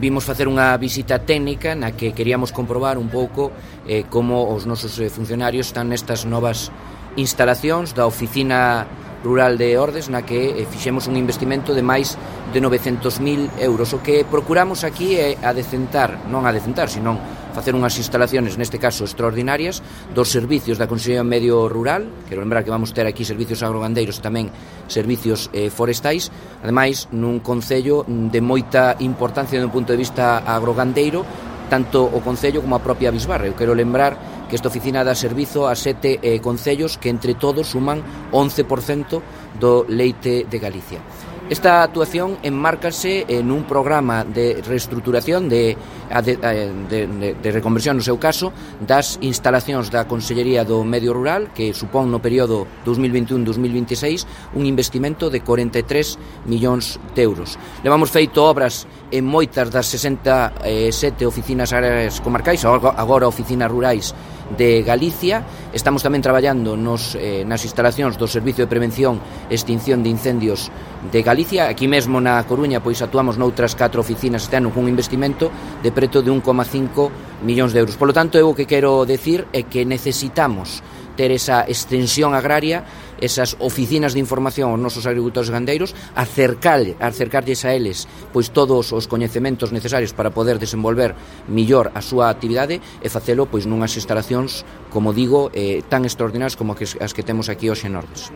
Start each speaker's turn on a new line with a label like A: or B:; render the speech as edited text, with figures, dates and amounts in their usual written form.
A: Vimos facer unha visita técnica na que queríamos comprobar un pouco como os nosos funcionarios están nestas novas instalacións da Oficina Rural de Ordes, na que fixemos un investimento de máis de 900.000 euros. O que procuramos aquí é senón facer unhas instalaciones, neste caso extraordinarias, dos servicios da Consellería de Medio Rural. Quero lembrar que vamos ter aquí servicios agrogandeiros e tamén servicios forestais, ademais nun concello de moita importancia do punto de vista agrogandeiro, tanto o concello como a propia Bisbarre. Eu quero lembrar que esta oficina dá servizo a 7 concellos que entre todos suman 11% do leite de Galicia. Esta actuación enmárcase en un programa de reestruturación, de reconversión, no seu caso, das instalacións da Consellería do Medio Rural, que supón no período 2021-2026 un investimento de 43 millóns de euros. Levamos feito obras en moitas das 67 oficinas agrarias comarcais, agora oficinas rurais de Galicia. Estamos tamén traballando nas instalacións do Servicio de Prevención e Extinción de Incendios de Galicia. Aquí mesmo na Coruña pois actuamos noutras 4 oficinas este ano cun investimento de preto de 1,5 millóns de euros. Por lo tanto, eu o que quero decir é que necesitamos ter esa extensión agraria, esas oficinas de información aos nosos agricultores gandeiros, acercarlles a eles pois todos os coñecementos necesarios para poder desenvolver millor a súa actividade e facelo pois nunhas instalacións, como digo, tan extraordinarias como as que temos aquí hoxe en Ordes.